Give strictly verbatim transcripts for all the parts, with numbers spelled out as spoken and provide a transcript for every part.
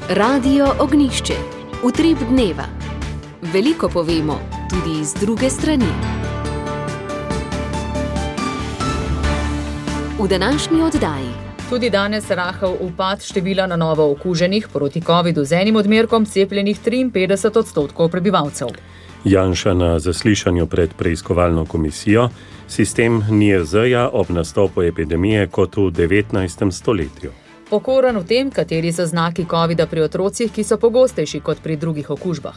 Radio Ognjišče. Utrip dneva. Veliko povemo, tudi z druge strani. V današnji oddaji. Tudi danes rahel upad števila na novo okuženih proti covidu z enim odmerkom cepljenih triinpetdeset odstotkov prebivalcev. Janša na zaslišanju pred preiskovalno komisijo, sistem N I J Z-ja ob nastopu epidemije kot v devetnajstem stoletju. Pokoren v tem, kateri so znaki covida pri otrocih, ki so pogostejši kot pri drugih okužbah.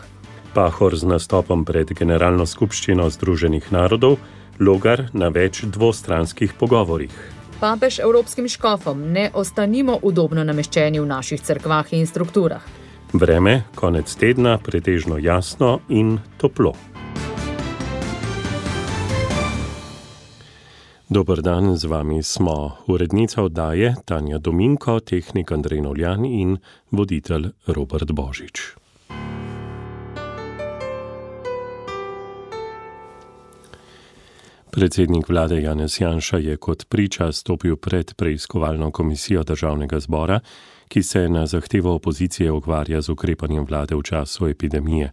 Pahor z nastopom pred Generalno skupščino Združenih narodov, Logar na več dvostranskih pogovorih. Papež evropskim škofom: ne ostanimo udobno nameščeni v naših cerkvah in strukturah. Vreme, konec tedna, pretežno jasno in toplo. Dober dan, z vami smo urednica oddaje Tanja Dominko, tehnik Andrej Novljan in voditelj Robert Božič. Predsednik vlade Janez Janša je kot priča stopil pred preiskovalno komisijo Državnega zbora, ki se na zahtevo opozicije ukvarja z ukrepanjem vlade v času epidemije.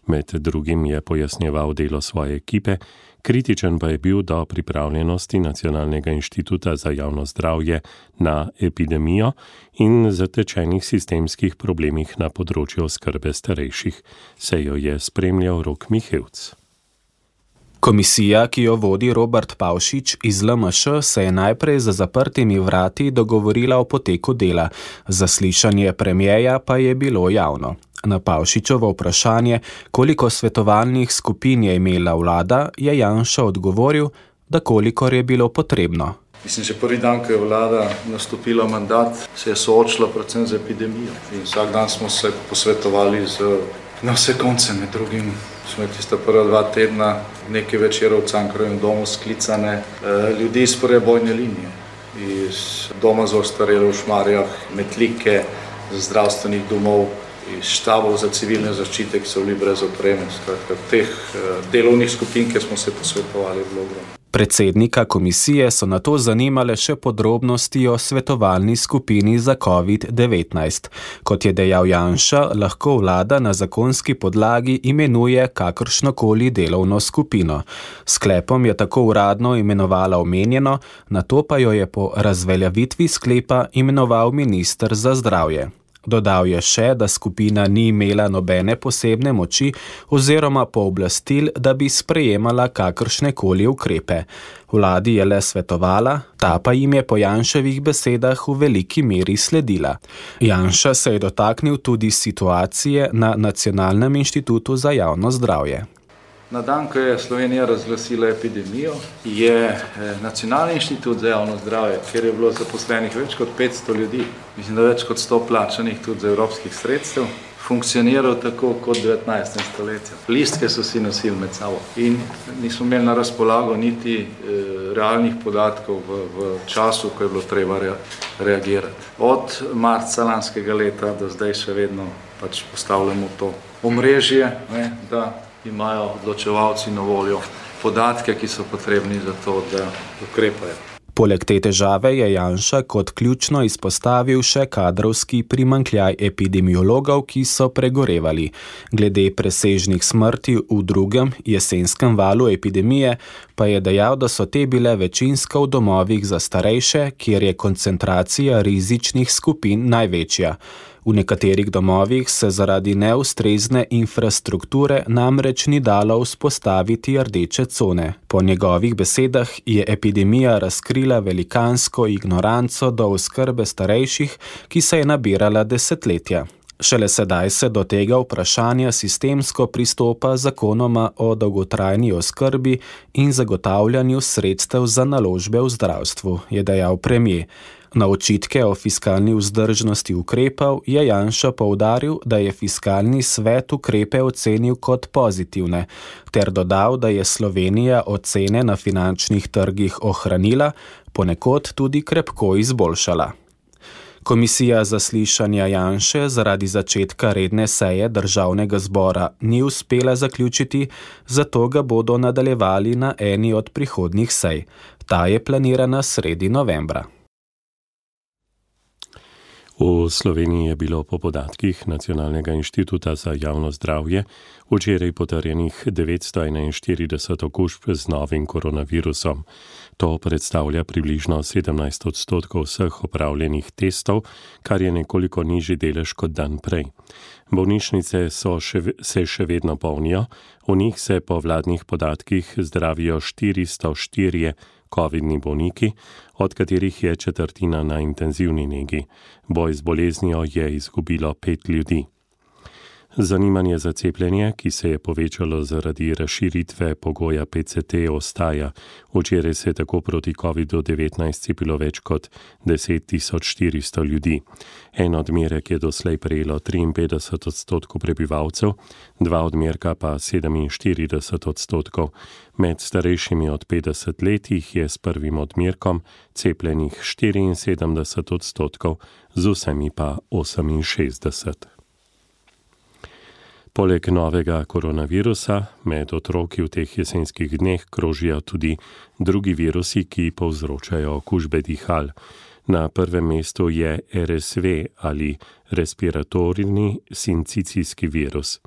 Med drugim je pojasnjeval delo svoje ekipe, kritičen pa je bil do pripravljenosti Nacionalnega inštituta za javno zdravje na epidemijo in zatečenih sistemskih problemih na področju oskrbe starejših. Sejo je spremljal Rok Mihevc. Komisija, ki jo vodi Robert Pavšič iz L M Š, se je najprej za zaprtimi vrati dogovorila o poteku dela. Zaslišanje premierja pa je bilo javno. Na Pavšičovo vprašanje, koliko svetovalnih skupin je imela vlada, je Janša odgovoril, da kolikor je bilo potrebno. Mislim, že prvi dan, ko je vlada nastopila mandat, se je soočila predvsem z epidemijo. In vsak dan smo se posvetovali z, na vse konce, med drugim smo tista prva dva tedna nekaj večerov v Cankarjevem domu sklicane ljudi iz prve bojne linije, iz doma za ostarele v Šmarjah, Metlike, zdravstvenih domov, iz štabov za civilne zaščite, ki so bili brez opreme. Skratka, teh delovnih skupin, kjer smo se posvetovali, je bilo ogromno. Predsednika komisije so nato zanimale še podrobnosti o svetovalni skupini za covid devetnajst. Kot je dejal Janša, lahko vlada na zakonski podlagi imenuje kakršnokoli delovno skupino. Sklepom je tako uradno imenovala omenjeno, nato pa jo je po razveljavitvi sklepa imenoval minister za zdravje. Dodal je še, da skupina ni imela nobene posebne moči oziroma pooblastil, da bi sprejemala kakršnekoli ukrepe. Vladi je le svetovala, ta pa jim je po Janševih besedah v veliki meri sledila. Janša se je dotaknil tudi situacije na Nacionalnem inštitutu za javno zdravje. Na dan, ko je Slovenija razglasila epidemijo, je Nacionalni inštitut za javno zdravje, kjer je bilo zaposlenih več kot petsto ljudi, mislim, da več kot sto plačanih tudi za evropskih sredstev, funkcioniral tako kot v devetnajstem stoletju. Listke so si nosili med sabo in nismo imeli na razpolago niti e, realnih podatkov v, v času, ko je bilo treba rea, reagirati. Od marca lanskega leta do zdaj še vedno pač postavljamo to omrežje, ne, da imajo odločevalci na voljo podatke, ki so potrebni za to, da ukrepajo. Poleg te težave je Janša kot ključno izpostavil še kadrovski primanjkljaj epidemiologov, ki so pregorevali. Glede presežnih smrti v drugem jesenskem valu epidemije pa je dejal, da so te bile večinsko v domovih za starejše, kjer je koncentracija rizičnih skupin največja. V nekaterih domovih se zaradi neustrezne infrastrukture namreč ni dalo vzpostaviti rdeče cone. Po njegovih besedah je epidemija razkrila velikansko ignoranco do oskrbe starejših, ki se je nabirala desetletja. Šele sedaj se do tega vprašanja sistemsko pristopa zakonoma o dolgotrajni oskrbi in zagotavljanju sredstev za naložbe v zdravstvu, je dejal premier. Na očitke o fiskalni vzdržnosti ukrepov je Janša poudaril, da je fiskalni svet ukrepe ocenil kot pozitivne, ter dodal, da je Slovenija ocene na finančnih trgih ohranila, ponekod tudi krepko izboljšala. Komisija zaslišanja Janše zaradi začetka redne seje Državnega zbora ni uspela zaključiti, zato ga bodo nadaljevali na eni od prihodnjih sej. Ta je planirana sredi novembra. V Sloveniji je bilo po podatkih Nacionalnega inštituta za javno zdravje včeraj potrjenih devetsto enainštirideset okužb z novim koronavirusom. To predstavlja približno sedemnajst odstotkov vseh opravljenih testov, kar je nekoliko nižji delež kot dan prej. Bolnišnice so še, se še vedno polnijo, v njih se po vladnih podatkih zdravijo štiristo štirje covidni bolniki, od katerih je četrtina na intenzivni negi. Boj z boleznijo je izgubilo pet ljudi. Zanimanje za cepljenje, ki se je povečalo zaradi razširitve pogoja P C T, ostaja. Včeraj se je tako proti kovidu devetnajst cepilo več kot deset tisoč štiristo ljudi. En odmerek je doslej prejelo triinpetdeset odstotkov prebivalcev, dva odmerka pa sedeminštirideset odstotkov. Med starejšimi od petdeset let jih je s prvim odmerkom cepljenih štiriinsedemdeset odstotkov, z vsemi pa oseminšestdeset. Poleg novega koronavirusa med otroki v teh jesenskih dneh krožijo tudi drugi virusi, ki povzročajo okužbe dihal. Na prvem mestu je R S V ali respiratorni sincicijski virus.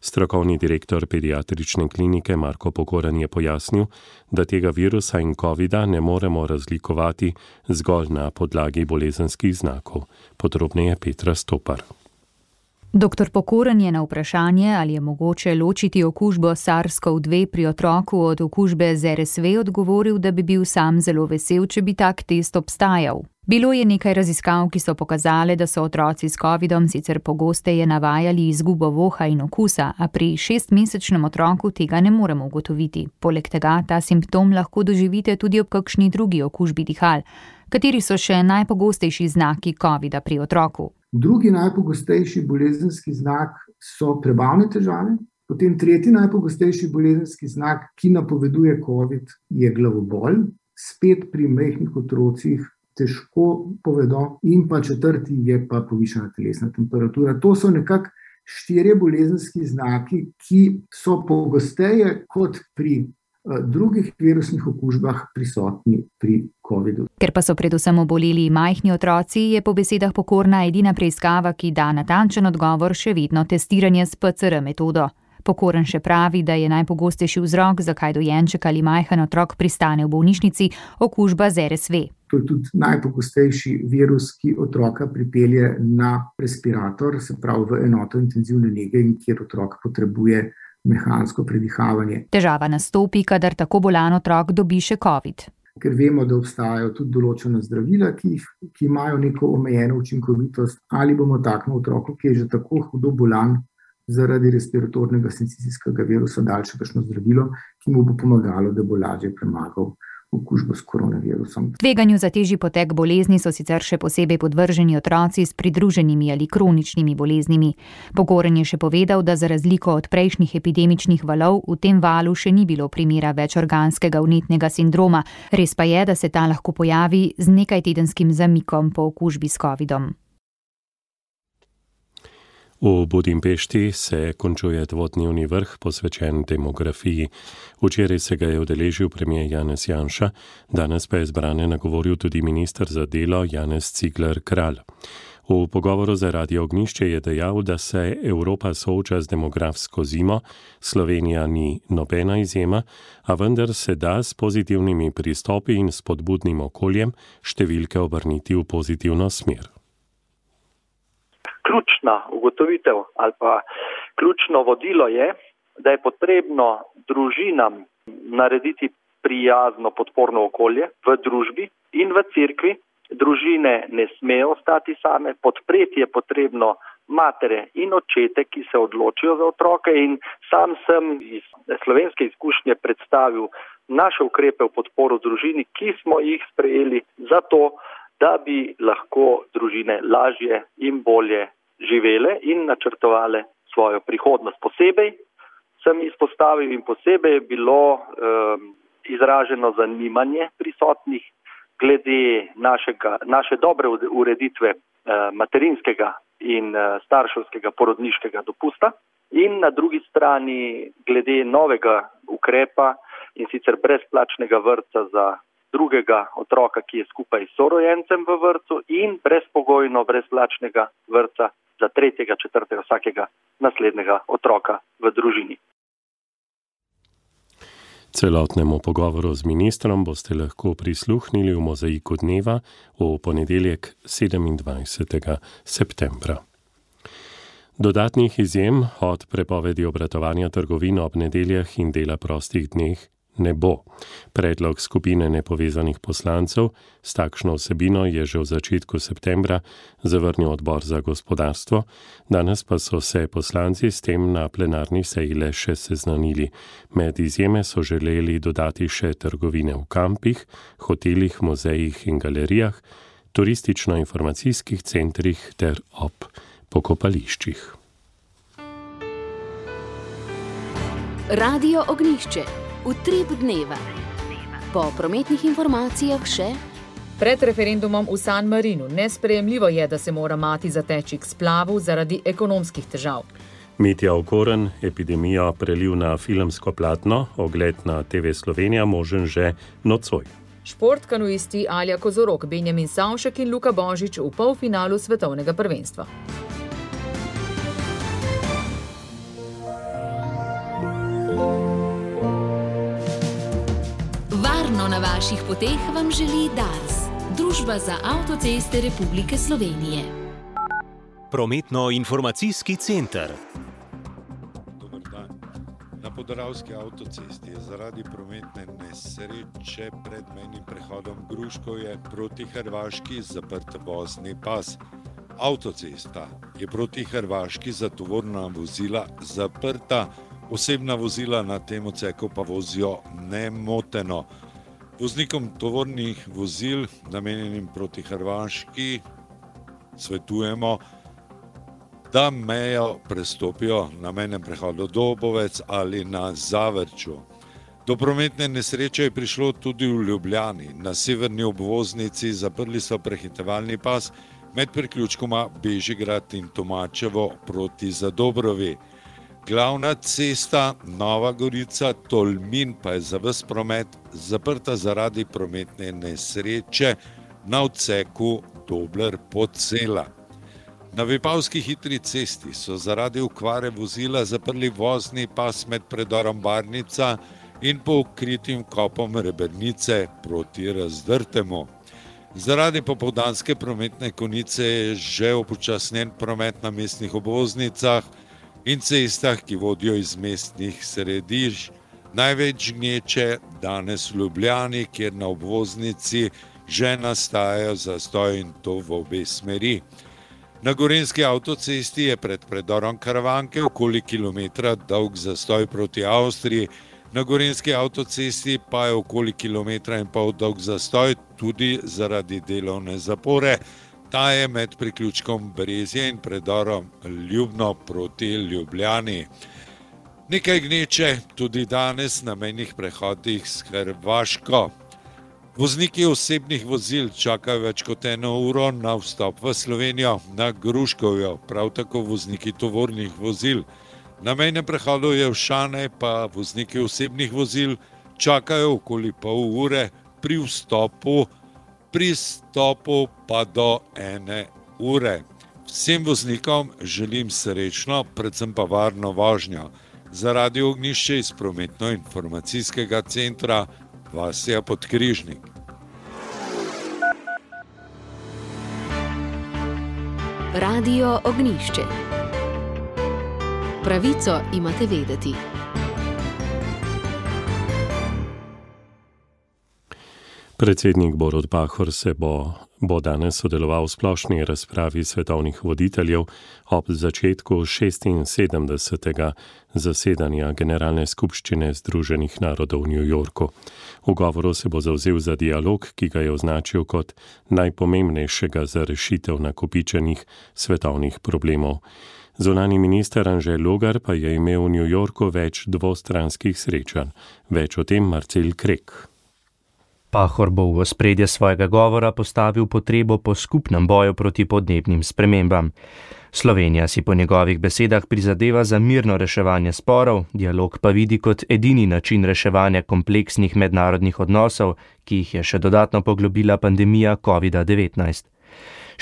Strokovni direktor pediatrične klinike Marko Pokoran je pojasnil, da tega virusa in covida ne moremo razlikovati zgolj na podlagi bolezenskih znakov. Podrobneje Petra Stopar. Doktor Pokoran je na vprašanje, ali je mogoče ločiti okužbo SARS-CoV dva pri otroku od okužbe z R S V, odgovoril, da bi bil sam zelo vesel, če bi tak test obstajal. Bilo je nekaj raziskav, ki so pokazale, da so otroci s covidom sicer pogosteje navajali izgubo voha in okusa, a pri šestmesečnem otroku tega ne moremo ugotoviti. Poleg tega ta simptom lahko doživite tudi ob kakšni drugi okužbi dihal. Kateri so še najpogostejši znaki covida pri otroku? Drugi najpogostejši bolezenski znak so prebavne težave, potem tretji najpogostejši bolezenski znak, ki napoveduje covid, je glavobol, spet pri majhnih otrocih težko povedo, in pa četrti je pa povišana telesna temperatura. To so nekako štirje bolezenski znaki, ki so pogosteje kot pri drugih virusnih okužbah prisotni pri covidu. Ker pa so predvsem oboleli majhni otroci, je po besedah Pokorna edina preiskava, ki da natančen odgovor, še vedno testiranje s P C R metodo. Pokoran še pravi, da je najpogostejši vzrok, zakaj dojenček ali majhen otrok pristane v bolnišnici, okužba z R S V. To je tudi najpogostejši virus, ki otroka pripelje na respirator, se pravi v enoto intenzivne nege, in kjer otrok potrebuje mehansko predihavanje. Težava nastopi, kadar tako bolan otrok dobi še covid. Ker vemo, da obstajajo tudi določena zdravila, ki, jih, ki imajo neko omejeno učinkovitost, ali bomo takemu otroku, ki je že tako hudo bolan zaradi respiratornega sincicijskega virusa, dali še kakšno zdravilo, ki mu bo pomagalo, da bo lažje premagal okužbo s koronavirusom. Tveganju za težji potek bolezni so sicer še posebej podvrženi otroci s pridruženimi ali kroničnimi boleznimi. Pokoran je še povedal, da za razliko od prejšnjih epidemičnih valov v tem valu še ni bilo primera večorganskega vnetnega sindroma. Res pa je, da se ta lahko pojavi z nekajtedenskim zamikom po okužbi s covidom. V Budimpešti se končuje dvodnevni vrh posvečen demografiji. Včeraj se ga je udeležil premier Janez Janša, danes pa je zbrane nagovoril tudi minister za delo Janez Cigler Kralj. V pogovoru za Radio Ognjišče je dejal, da se Evropa sooča z demografsko zimo, Slovenija ni nobena izjema, a vendar se da s pozitivnimi pristopi in spodbudnim okoljem številke obrniti v pozitivno smer. Ključna ugotovitev ali pa ključno vodilo je, da je potrebno družinam narediti prijazno podporno okolje v družbi in v cerkvi. Družine ne smejo ostati same, podpreti je potrebno matere in očete, ki se odločijo za otroke, in sam sem iz slovenske izkušnje predstavil naše ukrepe v podporo družini, ki smo jih sprejeli zato, da bi lahko družine lažje in bolje živele in načrtovale svojo prihodnost. Posebej sem izpostavil in posebej je bilo um, izraženo zanimanje prisotnih glede našega, naše dobre ureditve uh, materinskega in uh, starševskega porodniškega dopusta in na drugi strani glede novega ukrepa, in sicer brezplačnega vrtca za drugega otroka, ki je skupaj s sorojencem v vrtcu in brezpogojno brezplačnega vrtca za tretjega, četrtega, vsakega naslednjega otroka v družini. Celotnemu pogovoru z ministrom boste lahko prisluhnili v Mozaiku dneva v ponedeljek sedemindvajsetega septembra. Dodatnih izjem od prepovedi obratovanja trgovin ob nedeljah in dela prostih dneh ne bo. Predlog skupine nepovezanih poslancev s takšno vsebino je že v začetku septembra zavrnil odbor za gospodarstvo, danes pa so se poslanci s tem na plenarni seji le še seznanili. Med izjeme so želeli dodati še trgovine v kampih, hotelih, muzejih in galerijah, turistično-informacijskih centrih ter ob pokopališčih. Radio Ognjišče. Utrip dneva. Po prometnih informacijah še. Pred referendumom v San Marinu nesprejemljivo je, da se mora mati zateči k splavu zaradi ekonomskih težav. Mitja Okorn, epidemijo prelil na filmsko platno, ogled na T V Slovenija možen že nocoj. Šport kanuisti Alja Kozorog, Benjamin Savšek in Luka Božič v polfinalu svetovnega prvenstva. Na vaših poteh vam želi Dars, Družba za avtoceste Republike Slovenije. Prometno-informacijski center. Dobar dan. Na Podravski avtocesti je zaradi prometne nesreče pred mejnim prehodom Gruškovje proti Hrvaški zaprt vozni pas. Avtocesta je proti Hrvaški za tovorna vozila zaprta, osebna vozila na tem odseku pa vozijo nemoteno. Voznikom tovornih vozil, namenjenim proti Hrvaški, svetujemo, da mejo prestopijo na mejnem prehodu Dobovec ali na Zavrču. Do prometne nesreče je prišlo tudi v Ljubljani. Na severni obvoznici zaprli so prehitevalni pas med priključkoma Bežigrad in Tomačevo proti Zadobrovi. Glavna cesta Nova Gorica-Tolmin pa je za ves promet zaprta zaradi prometne nesreče na odseku Dobler-Podsela. Na Vipavski hitri cesti so zaradi okvare vozila zaprli vozni pas med predorom Barnica in pokritim kopom Rebernice proti Razdrtemu. Zaradi popoldanske prometne konice je že upočasnjen promet na mestnih obvoznicah in cestah, ki vodijo iz mestnih središč. Največ gneče danes v Ljubljani, kjer na obvoznici že nastajajo zastoji in to v obe smeri. Na Gorenjski avtocesti je pred predorom Karavanke okoli kilometra dolg zastoj proti Avstriji, na Gorenjski avtocesti pa je okoli kilometra in pol dolg zastoj tudi zaradi delovne zapore. Ta je med priključkom Brezje in predorom Ljubno proti Ljubljani. Nekaj gneče tudi danes na mejnih prehodih s Hrvaško. Vozniki osebnih vozil čakajo več kot eno uro na vstop v Slovenijo na Gruškovjo, prav tako vozniki tovornih vozil. Na mejnem prehodu Jelšane pa vozniki osebnih vozil čakajo okoli pol ure, pri vstopu pri stopu pa do ene ure. Vsem voznikom želim srečno, predvsem pa varno vožnjo. Za Radio Ognjišče iz prometno-informacijskega centra Vasja Podkrižnik. Radio Ognjišče. Pravico imate vedeti. Predsednik Borut Pahor se bo, bo danes sodeloval v splošni razpravi svetovnih voditeljev ob začetku šestinsedemdesetega zasedanja Generalne skupščine Združenih narodov v New Yorku. V govoru se bo zavzel za dialog, ki ga je označil kot najpomembnejšega za rešitev nakopičenih svetovnih problemov. Zunanji minister Anže Logar pa je imel v New Yorku več dvostranskih srečanj. Več o tem Marcel Krek. Pahor bo v ospredje svojega govora postavil potrebo po skupnem boju proti podnebnim spremembam. Slovenija si po njegovih besedah prizadeva za mirno reševanje sporov, dialog pa vidi kot edini način reševanja kompleksnih mednarodnih odnosov, ki jih je še dodatno poglobila pandemija covida devetnajst.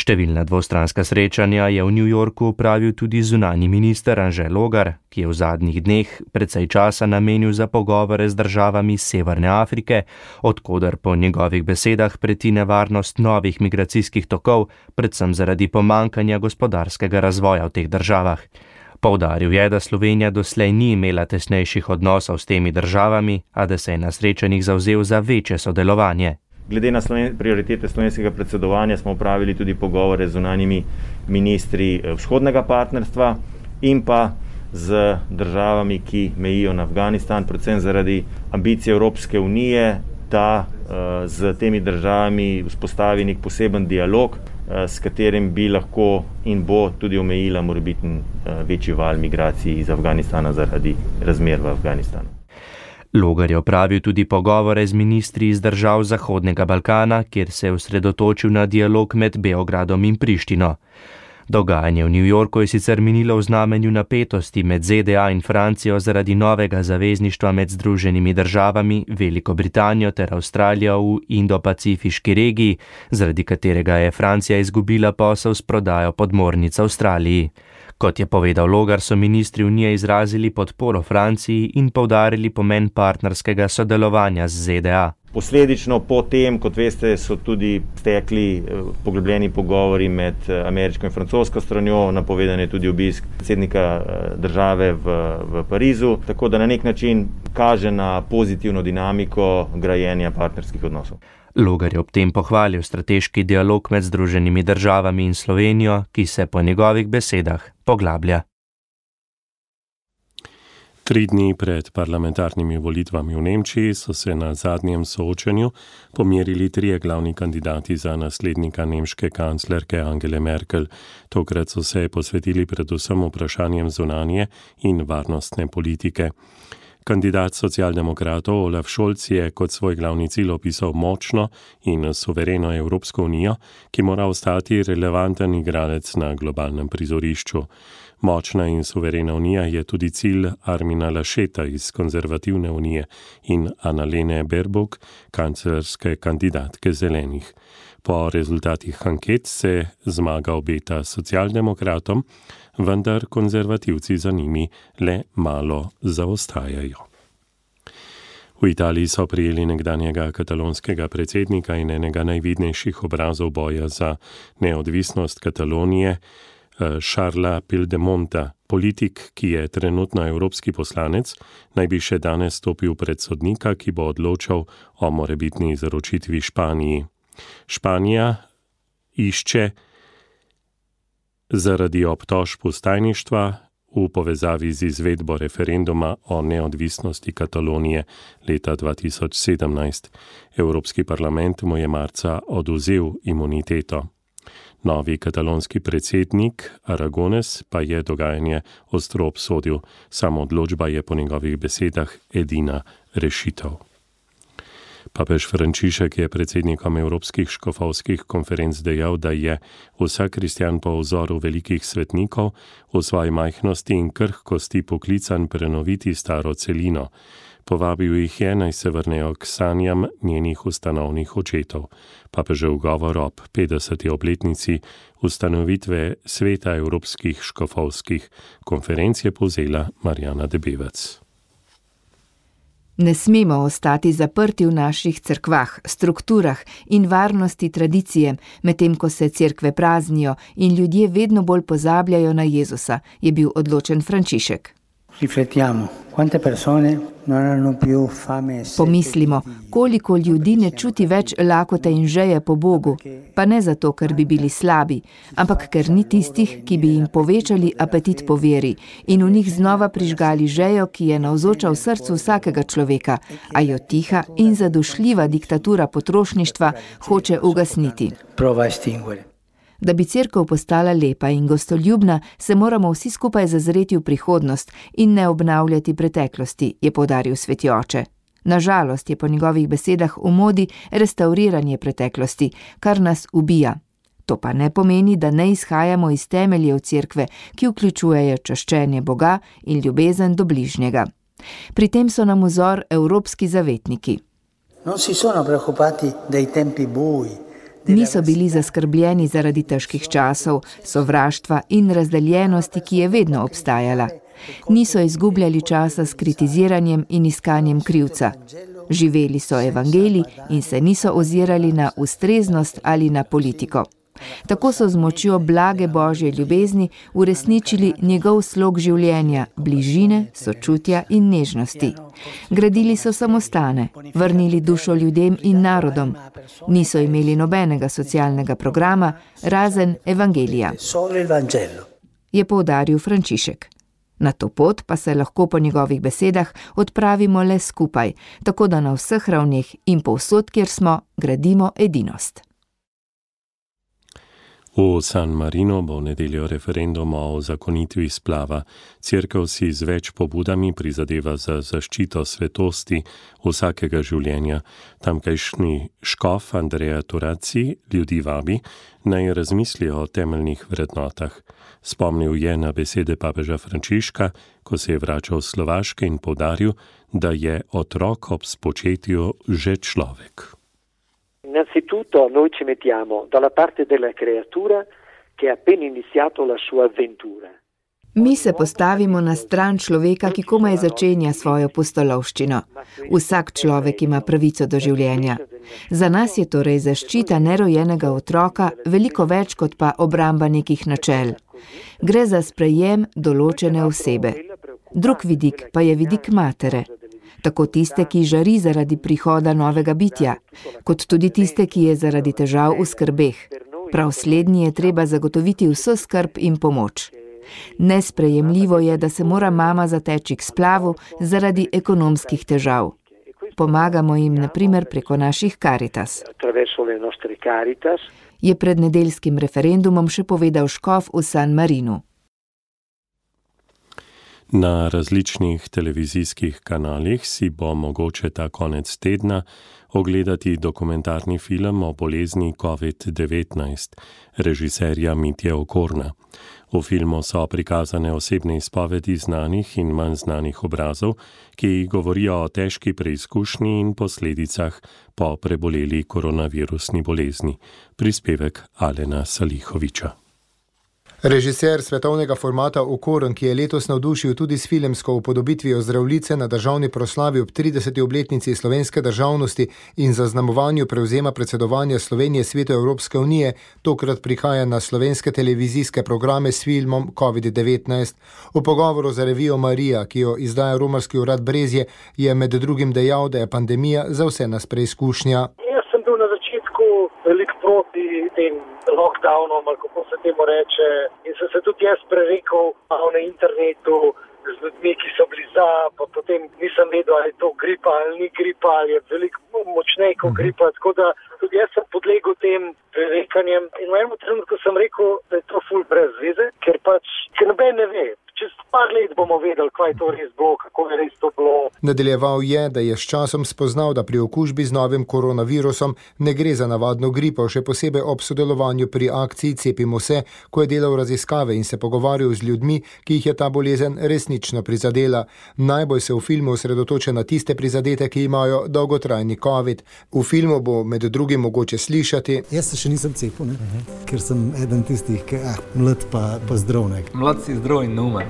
Številna dvostranska srečanja je v New Yorku opravil tudi zunanji minister Anže Logar, ki je v zadnjih dneh precej časa namenil za pogovore z državami Severne Afrike, odkoder po njegovih besedah preti nevarnost novih migracijskih tokov, predvsem zaradi pomankanja gospodarskega razvoja v teh državah. Poudaril je, da Slovenija doslej ni imela tesnejših odnosov s temi državami, a da se je na srečanjih zavzel za večje sodelovanje. Glede na sloven, prioritete slovenskega predsedovanja smo opravili tudi pogovore z zunanjimi ministri vzhodnega partnerstva in pa z državami, ki mejijo na Afganistan, predvsem zaradi ambicije Evropske unije, da uh, z temi državami vzpostavi nek poseben dialog, uh, s katerim bi lahko in bo tudi omejila morebiten uh, večji val migracij iz Afganistana zaradi razmer v Afganistanu. Logar je opravil tudi pogovore z ministri iz držav Zahodnega Balkana, kjer se je osredotočil na dialog med Beogradom in Prištino. Dogajanje v New Yorku je sicer minilo v znamenju napetosti med Z D A in Francijo zaradi novega zavezništva med Združenimi državami, Veliko Britanijo ter Avstralijo v Indo-Pacifiški regiji, zaradi katerega je Francija izgubila posel s prodajo podmornic Avstraliji. Kot je povedal Logar, so ministri unije izrazili podporo Franciji in poudarili pomen partnerskega sodelovanja z Z D A. Posledično po tem, kot veste, so tudi stekli poglobljeni pogovori med ameriško in francosko stranjo, napovedan je tudi obisk predsednika države v, v Parizu, tako da na nek način kaže na pozitivno dinamiko grajenja partnerskih odnosov. Logar je ob tem pohvalil strateški dialog med Združenimi državami in Slovenijo, ki se po njegovih besedah poglablja. Tri dni pred parlamentarnimi volitvami v Nemčiji so se na zadnjem soočenju pomerili trije glavni kandidati za naslednika nemške kanclerke Angele Merkel. Tokrat so se posvetili predvsem vprašanjem zunanje in varnostne politike. Kandidat socialdemokratov Olaf Scholz je kot svoj glavni cilj opisal močno in suvereno Evropsko unijo, ki mora ostati relevanten igralec na globalnem prizorišču. Močna in suverena unija je tudi cilj Armina Lascheta iz konzervativne unije in Annalene Baerbock, kanclerske kandidatke zelenih. Po rezultatih anket se zmaga obeta socialdemokratom, vendar konzervativci za njimi le malo zaostajajo. V Italiji so prijeli nekdanjega katalonskega predsednika in enega najvidnejših obrazov boja za neodvisnost Katalonije, Charlesa Pildemonta. Politik, ki je trenutno evropski poslanec, naj bi še danes stopil pred sodnika, ki bo odločal o morebitni izročitvi Španiji. Španija išče zaradi obtožb vstajništva v povezavi z izvedbo referenduma o neodvisnosti Katalonije leta dva tisoč sedemnajst. Evropski parlament mu je marca odvzel imuniteto. Novi katalonski predsednik Aragones pa je dogajanje ostro obsodil. Sama odločba je po njegovih besedah edina rešitev. Papež Frančišek je predsednikom Evropskih škofovskih konferenc dejal, da je vsak kristjan po vzoru velikih svetnikov v svoji majhnosti in krhkosti poklican prenoviti staro celino. Povabil jih je, naj se vrnejo k sanjam njenih ustanovnih očetov. Papežev govor ob petdeseti obletnici ustanovitve sveta Evropskih škofovskih konferenc je povzela Marjana Debevec. Ne smemo ostati zaprti v naših cerkvah, strukturah in varnosti tradicije, medtem ko se cerkve praznijo in ljudje vedno bolj pozabljajo na Jezusa, je bil odločen Frančišek. Riflettiamo, quante persone non hanno più fame e sete. Pomislimo, koliko ljudi ne čuti več lakote in žeje po Bogu, pa ne zato, ker bi bili slabi, ampak ker ni tistih, ki bi jim povečali apetit po veri in v njih znova prižgali žejo, ki je navzoča v srcu vsakega človeka, a jo tiha in zadušljiva diktatura potrošništva hoče ugasniti. Prova estinguere. Da bi cerkev postala lepa in gostoljubna, se moramo vsi skupaj zazreti v prihodnost in ne obnavljati preteklosti, je poudaril sveti oče. Nažalost je po njegovih besedah v modi restavriranje preteklosti, kar nas ubija. To pa ne pomeni, da ne izhajamo iz temeljev cerkve, ki vključujejo čaščenje Boga in ljubezen do bližnjega. Pri tem so nam vzor evropski zavetniki. Niso bili zaskrbljeni zaradi težkih časov, sovraštva in razdeljenosti, ki je vedno obstajala. Niso izgubljali časa s kritiziranjem in iskanjem krivca. Živeli so evangelij in se niso ozirali na ustreznost ali na politiko. Tako so z močjo blage Božje ljubezni uresničili njegov slog življenja, bližine, sočutja in nežnosti. Gradili so samostane, vrnili dušo ljudem in narodom. Niso imeli nobenega socialnega programa, razen evangelija, je poudaril Frančišek. Na to pot pa se lahko po njegovih besedah odpravimo le skupaj, tako da na vseh ravneh in povsod, kjer smo, gradimo edinost. V San Marino bo v nedeljo referendum o uzakonitvi splava. Cerkev si z več pobudami prizadeva za zaščito svetosti vsakega življenja. Tamkajšnji škof Andrea Turacci ljudi vabi, naj razmislijo o temeljnih vrednotah. Spomnil je na besede papeža Frančiška, ko se je vračal z Slovaške in poudaril, da je otrok ob spočetju že človek. Innanzitutto noi ci mettiamo dalla parte della creatura che ha appena iniziato la sua avventura. Mi se postavimo na stran človeka, ki komaj začenja svojo pustolovščino. Vsak človek ima pravico do življenja. Za nas je torej zaščita nerojenega otroka veliko več kot pa obramba nekih načel. Gre za sprejem določene osebe. Drug vidik pa je vidik matere. Tako tiste, ki žari zaradi prihoda novega bitja, kot tudi tiste, ki je zaradi težav v skrbeh. Prav slednji je treba zagotoviti vso skrb in pomoč. Nesprejemljivo je, da se mora mama zateči k splavu zaradi ekonomskih težav. Pomagamo jim na primer preko naših Caritas. Je pred nedeljskim referendumom še povedal škof v San Marinu. Na različnih televizijskih kanalih si bo mogoče ta konec tedna ogledati dokumentarni film o bolezni covid devetnajst režiserja Mitje Okorna. V filmu so prikazane osebne izpovedi znanih in manj znanih obrazov, ki govorijo o težki preizkušnji in posledicah po preboleli koronavirusni bolezni. Prispevek Alena Salihoviča. Režiser svetovnega formata Okorn, ki je letos navdušil tudi s filmsko upodobitvijo Zdravljice na državni proslavi ob trideseti obletnici slovenske državnosti in zaznamovanju prevzema predsedovanja Slovenije Svetu Evropske unije, tokrat prihaja na slovenske televizijske programe s filmom covid devetnajst. V pogovoru za revijo Marija, ki jo izdaja romarski urad Brezje, je med drugim dejal, da je pandemija za vse nas preizkušnja. Jaz sem bil na začetku veliko proti tem lockdownom, ali kako se temu reče, in sem se tudi jaz prerekel na internetu z ljudmi, ki so bili za, pa potem nisem vedel, ali je to gripa ali ni gripa, ali je veliko močnej kot gripa, tako da tudi jaz sem podlegel tem prerekanjem in v enem trenutku sem rekel, da je to ful brez veze, ker pač, ker noben ne ve. Čez par let bomo vedeli, kaj to res bilo, kako je res to bilo. Nadaljeval je, da je s časom spoznal, da pri okužbi z novim koronavirusom ne gre za navadno gripo, še posebej ob sodelovanju pri akciji Cepimo se, ko je delal raziskave in se pogovarjal z ljudmi, ki jih je ta bolezen resnično prizadela. Najbolj se v filmu osredotoča na tiste prizadete, ki imajo dolgotrajni covid. V filmu bo med drugim mogoče slišati: Jaz se še nisem cepil, ne? Uh-huh. Ker sem eden tistih, ki ah, mlad pa, pa zdrav. Mlad si zdrav in neumen.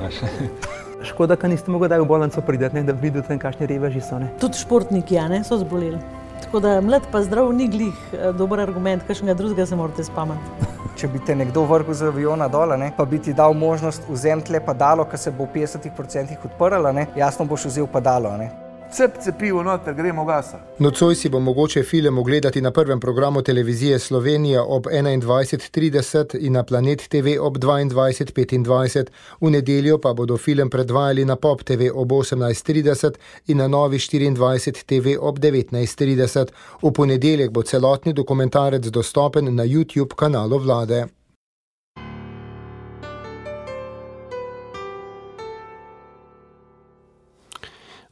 Škoda, ka niste mogli daj v bolnico prideti, da vidite tam, kakšni reveži so. Ne? Tudi športniki, ja, ne, so zboleli. Tako da mlad pa zdrav ni glih dober argument, kakšnega drugega se morate spamati. Če bi te nekdo vrgel z aviona dole, ne, pa bi ti dal možnost vzeti le padalo, ki se bo v petdesetih odstotkih odprlo, ne, jasno boš vzel padalo. Ne. Cep cepivo noter, gremo gasa. Nocoj si bo mogoče film ogledati na prvem programu televizije Slovenija ob enaindvajset trideset in na Planet T V ob dvaindvajset petindvajset. V nedeljo pa bodo film predvajali na Pop T V ob osemnajst trideset in na Novi štiriindvajset T V ob devetnajst trideset. V ponedeljek bo celotni dokumentarec dostopen na YouTube kanalu vlade.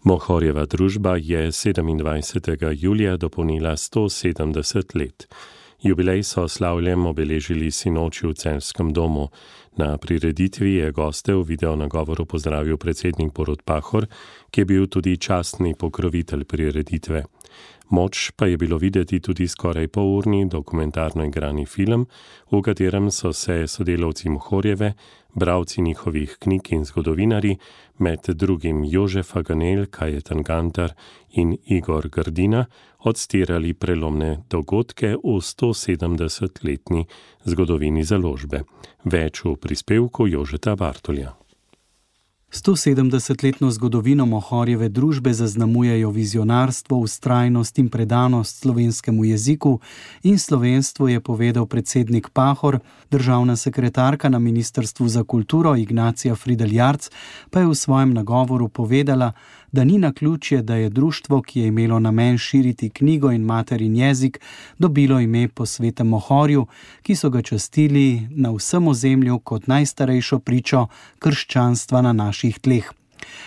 Mohorjeva družba je sedemindvajsetega julija dopolnila sto sedemdeset let. Jubilej so slavljem obeležili sinoči v Celjskem domu. Na prireditvi je goste v videonagovoru pozdravil predsednik Borut Pahor, ki je bil tudi častni pokrovitelj prireditve. Moč pa je bilo videti tudi skoraj polurni dokumentarno igrani film, v katerem so se sodelavci Mohorjeve, bralci njihovih knjig in zgodovinari, med drugim Jožef Faganel, Kajetan Gantar in Igor Grdina, odstirali prelomne dogodke v stosedemdesetletni zgodovini založbe. Več v prispevku Jožeta Bartolja. stosedemdesetletno zgodovino Mohorjeve družbe zaznamujejo vizionarstvo, vztrajnost in predanost slovenskemu jeziku in slovenstvu, je povedal predsednik Pahor. Državna sekretarka na Ministrstvu za kulturo Ignacija Frideljarc pa je v svojem nagovoru povedala, da ni naključje, da je društvo, ki je imelo namen širiti knjigo in materin jezik, dobilo ime po svetem Mohorju, ki so ga častili na vsem ozemlju kot najstarejšo pričo krščanstva na naših tleh.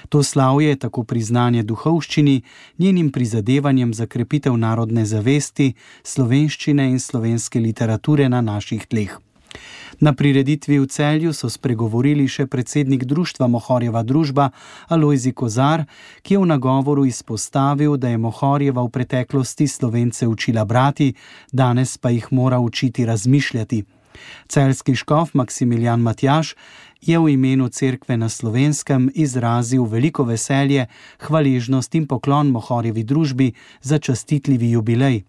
To slavje je tako priznanje duhovščini, njenim prizadevanjem za krepitev narodne zavesti, slovenščine in slovenske literature na naših tleh. Na prireditvi v Celju so spregovorili še predsednik društva Mohorjeva družba Alojzij Kozar, ki je v nagovoru izpostavil, da je Mohorjeva v preteklosti Slovence učila brati, danes pa jih mora učiti razmišljati. Celjski škof Maksimilijan Matjaž je v imenu cerkve na Slovenskem izrazil veliko veselje, hvaležnost in poklon Mohorjevi družbi za častitljivi jubilej.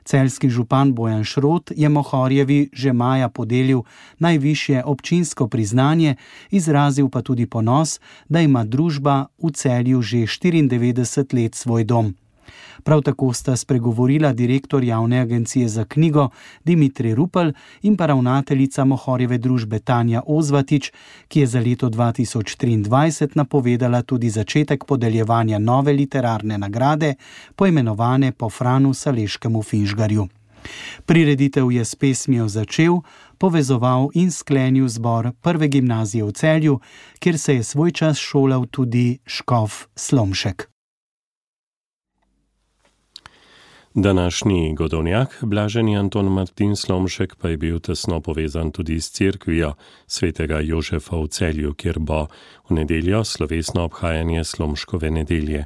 Celjski župan Bojan Šrot je Mohorjevi že maja podelil najvišje občinsko priznanje, izrazil pa tudi ponos, da ima družba v Celju že štiriindevetdeset let svoj dom. Prav tako sta spregovorila direktor Javne agencije za knjigo Dimitrij Rupel in pa ravnateljica Mohorjeve družbe Tanja Ozvatič, ki je za leto dva tisoč triindvajset napovedala tudi začetek podeljevanja nove literarne nagrade, poimenovane po Franu Saleškemu Finžgarju. Prireditev je s pesmijo začel, povezoval in sklenil zbor prve gimnazije v Celju, kjer se je svoj čas šolal tudi škof Slomšek. Današnji godovnjak, blaženi Anton Martin Slomšek, pa je bil tesno povezan tudi s cerkvijo svetega Jožefa v Celju, kjer bo v nedeljo slovesno obhajanje Slomškove nedelje.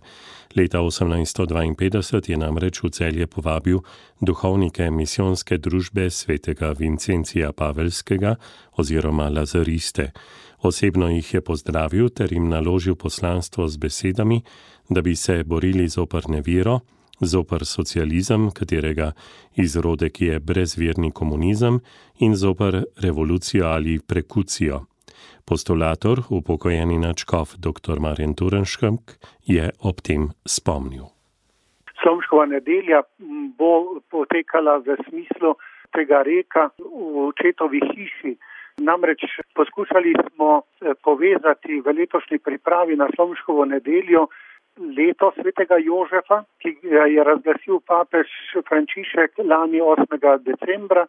Leta osemnajststo dvainpetdeset je namreč v Celje povabil duhovnike misijonske družbe svetega Vincencija Pavelskega oziroma Lazariste. Osebno jih je pozdravil ter jim naložil poslanstvo z besedami, da bi se borili zoper nevero, zoper socializem, katerega izrodek je brezverni komunizem, in zoper revolucijo ali prekucijo. Postulator, upokojeni nadškof dr. Marjan Turenšek, je ob tem spomnil. Slomškova nedelja bo potekala v smislu tega reka v očetovi hiši. Namreč poskušali smo povezati v letošnji pripravi na Slomškovo nedeljo leto svetega Jožefa, ki ga je razglasil papež Frančišek lani osmega decembra,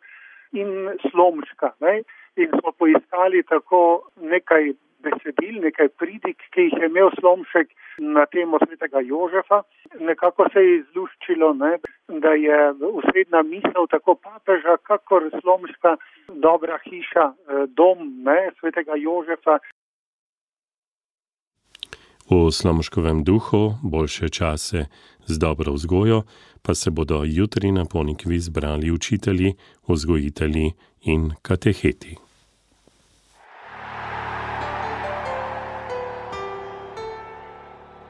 in Slomška. Ne? In smo poiskali tako nekaj besedil, nekaj pridig, ki jih je imel Slomšek na temo svetega Jožefa. Nekako se je izluščilo, ne? Da je usredna misel tako papeža, kakor Slomška dobra hiša, dom, ne? Svetega Jožefa. V Slomškovem duhu, boljše čase z dobro vzgojo, pa se bodo jutri na Ponikvi zbrali učitelji, vzgojitelji in kateheti.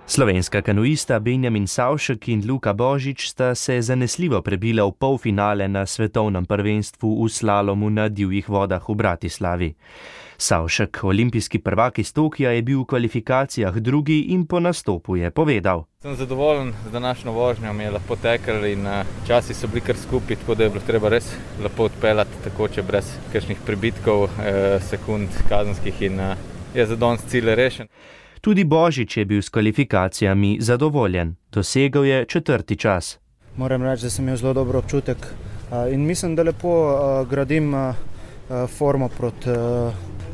Slovenska kanuista Benjamin Savšek in Luka Božič sta se zanesljivo prebila v polfinale na svetovnem prvenstvu v slalomu na divjih vodah v Bratislavi. Savšek, olimpijski prvak iz Tokija, je bil v kvalifikacijah drugi in po nastopu je povedal: Sem zadovoljen z današnjo vožnjo, mi je lepo tekel in časi so bili kar skupaj, tako da je bilo treba res lepo odpeljati, takoče brez kakšnih pribitkov, eh, sekund kazenskih in eh, je za danes cilj rešen. Tudi Božič je bil s kvalifikacijami zadovoljen. Dosegel je četrti čas. Moram reči, da sem imel zelo dober občutek in mislim, da lepo gradim formo proti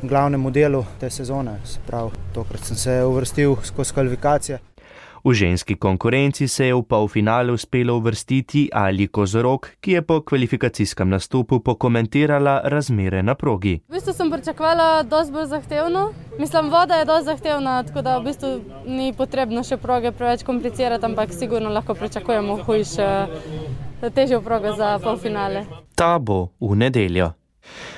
glavnemu delu te sezone. Se pravi, tokrat sem se uvrstil skozi kvalifikacije. V ženski konkurenci se je v polfinale uspelo uvrstiti Ali Kozorog, ki je po kvalifikacijskem nastopu pokomentirala razmere na progi. V bistvu sem pričakovala dosti bolj zahtevno. Mislim, voda je dosti zahtevna, tako da v bistvu ni potrebno še proge preveč komplicirati, ampak sigurno lahko pričakujemo hujše, težjo progo za polfinale. Ta bo v nedeljo.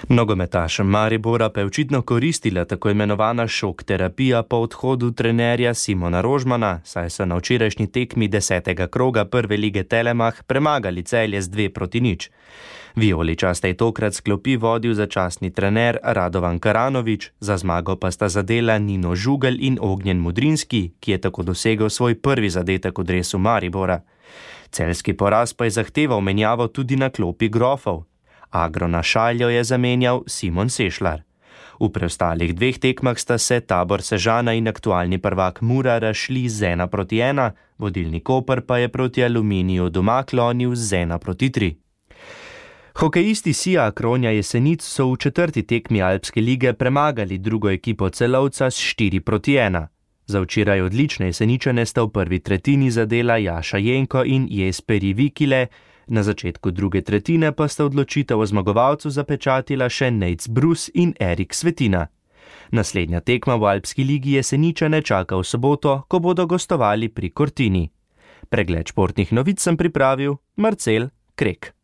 Nogometašem Maribora pa je očitno koristila tako imenovana šok terapija po odhodu trenerja Simona Rožmana, saj so na včerajšnji tekmi desetega kroga prve lige Telemach premagali Celje z dve proti nič. Vijoličaste je tokrat s klopi vodil začasni trener Radovan Karanović, za zmago pa sta zadela Nino Žugelj in Ognjen Mudrinski, ki je tako dosegel svoj prvi zadetek v dresu Maribora. Celjski poraz pa je zahteval menjavo tudi na klopi Grofov. Agrona Šaljo je zamenjal Simon Sešlar. V preostalih dveh tekmah sta se Tabor Sežana in aktualni prvak Mura razšli z ena proti ena, vodilni Koper pa je proti Aluminiju doma klonil z ena proti tri. Hokejisti Sija Kronja Jesenic so v četrti tekmi Alpske lige premagali drugo ekipo Celovca s štiri proti ena. Za včeraj odlične Jeseničane sta v prvi tretjini zadela Jaša Jenko in Jesperi Vikile, na začetku druge tretjine pa sta odločitev o zmagovalcu zapečatila še Nejc Brus in Erik Svetina. Naslednja tekma v Alpski ligi Jeseničane čaka v soboto, ko bodo gostovali pri Cortini. Pregled športnih novic sem pripravil Marcel Krek.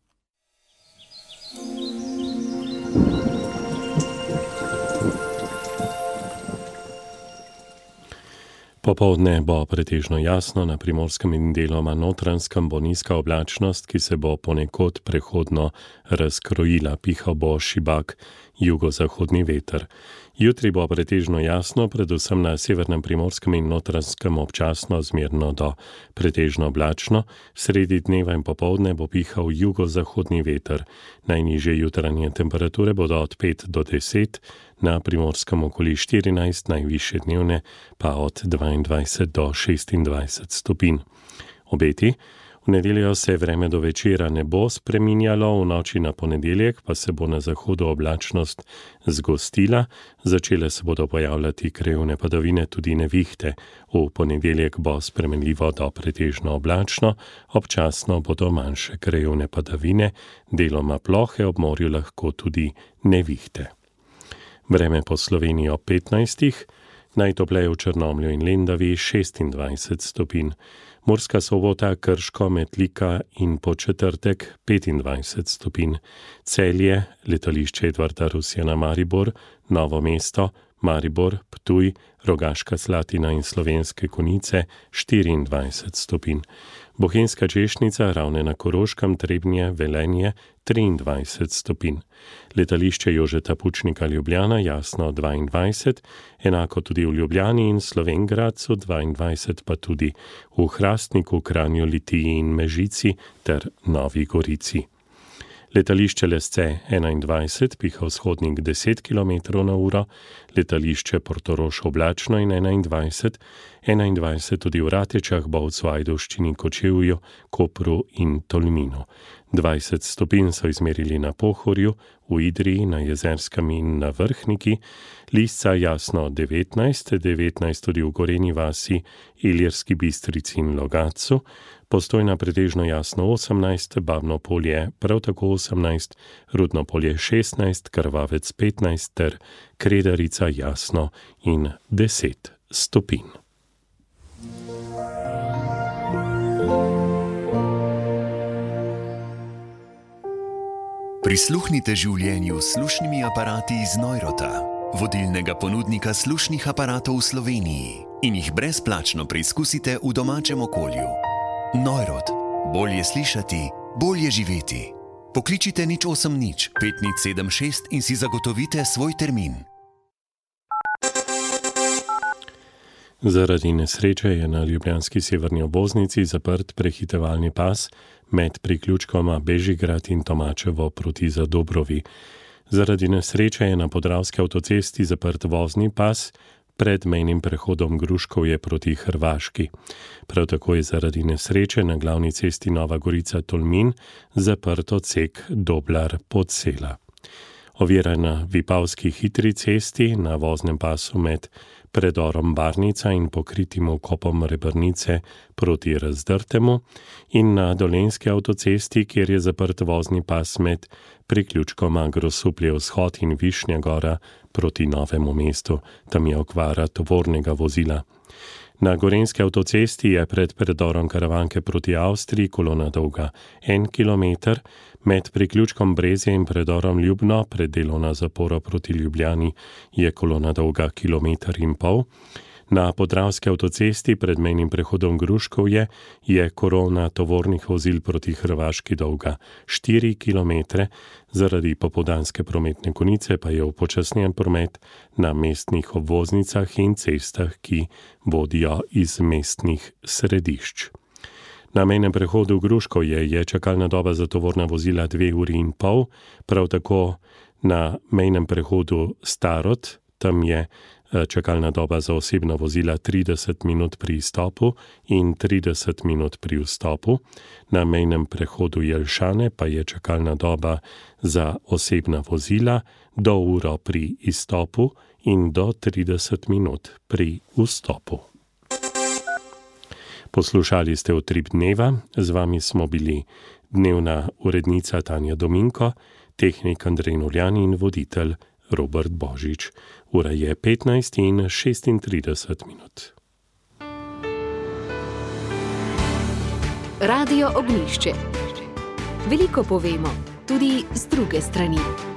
Popoldne bo pretežno jasno, na Primorskem in deloma Notranjskem bo nizka oblačnost, ki se bo ponekod prehodno razkrojila, pihal bo šibak jugozahodni veter. Jutri bo pretežno jasno, predvsem na severnem Primorskem in Notranjskem občasno zmerno do pretežno oblačno, sredi dneva in popoldne bo pihal jugozahodni veter. Najnižje jutranje temperature bodo od pet do deset, na Primorskem okoli štirinajst, najvišje dnevne pa od dvaindvajset do šestindvajset stopinj. Obeti. V nedeljo se vreme do večera ne bo spreminjalo, v noči na ponedeljek pa se bo na zahodu oblačnost zgostila, začele se bodo pojavljati krajevne padavine, tudi nevihte. V ponedeljek bo spremenljivo do pretežno oblačno, občasno bodo manjše krajevne padavine, deloma plohe, ob morju lahko tudi nevihte. Vreme po Sloveniji ob petnajstih, najtopleje v Črnomlju in Lendavi šestindvajset stopinj. Murska Sobota, Krško, Metlika in Podčetrtek petindvajset stopinj. Celje, letališče Edvarda Rusjana Maribor, Novo mesto, Maribor, Ptuj, Rogaška Slatina in Slovenske Konjice štiriindvajset stopinj. Bohinjska Češnica, Ravne na Koroškem, Trebnje, Velenje triindvajset stopinj. Letališče Jožeta Pučnika Ljubljana, Jasno dvaindvajset, enako tudi v Ljubljani in Slovenj Gradcu dvaindvajset, pa tudi v Hrastniku, Kranju, Litiji in Mežici ter Novi Gorici. Letališče Lesce enaindvajset, piha vzhodnik deset kilometrov na uro, letališče Portorož oblačno in enaindvajset, enaindvajset tudi v Ratečah, Bovcu, Ajdovščini, Kočevju, Kopru in Tolminu. dvajset stopinj so izmerili na Pohorju, v Idriji, na Jezerskem in na Vrhniki, Lisca Jasno devetnajst, devetnajst tudi v Gorenji vasi, Ilirski Bistrici in Logatcu, Postojna pretežno jasno osemnajst, Babno polje prav tako osemnajst, Rudno polje šestnajst, Krvavec petnajst ter Kredarica jasno in deset stopinj. Prisluhnite življenju s slušnimi aparati iz Neurota, vodilnega ponudnika slušnih aparatov v Sloveniji, in jih brezplačno preizkusite v domačem okolju. Neurot. Bolje slišati, bolje živeti. Pokličite nič osem nič pet nič sedem šest in si zagotovite svoj termin. Zaradi nesreče je na ljubljanski severni obvoznici zaprt prehitevalni pas med priključkoma Bežigrad in Tomačevo proti Zadobrovi. Zaradi nesreče je na Podravski avtocesti zaprt vozni pas pred mejnim prehodom Gruškovje proti Hrvaški. Prav tako je zaradi nesreče na glavni cesti Nova Gorica-Tolmin zaprt odsek Doblar-Podsela. Ovira na Vipavski hitri cesti na voznem pasu med predorom Barnica in pokritim okopom Rebrnice proti Razdrtemu in na Dolenjski avtocesti, kjer je zaprt vozni pas med priključkoma Grosuplje vzhod in Višnja Gora proti Novemu mestu. Tam je okvara tovornega vozila. Na Gorenjski avtocesti je pred predorom Karavanke proti Avstriji kolona dolga en kilometer, med priključkom Brezje in predorom Ljubno pred delovna zapora proti Ljubljani je kolona dolga kilometer in pol. Na Podravski avtocesti pred mejnim prehodom Gruškovje je kolona tovornih vozil proti Hrvaški dolga štiri kilometre, zaradi popoldanske prometne konice pa je upočasnjen promet na mestnih obvoznicah in cestah, ki vodijo iz mestnih središč. Na mejnem prehodu Gruškovje je čakalna doba za tovorna vozila dve uri in pol, prav tako na mejnem prehodu Starod, tam je čakalna doba za osebna vozila trideset minut pri izstopu in trideset minut pri vstopu. Na mejnem prehodu Jelšane pa je čakalna doba za osebna vozila do uro pri izstopu in do trideset minut pri vstopu. Poslušali ste Utrip dneva, z vami smo bili dnevna urednica Tanja Dominko, tehnik Andrej Noljan in voditelj Robert Božič. Ura je petnajst in šestintrideset minut. Radio Ognjišče. Veliko povemo, tudi z druge strani.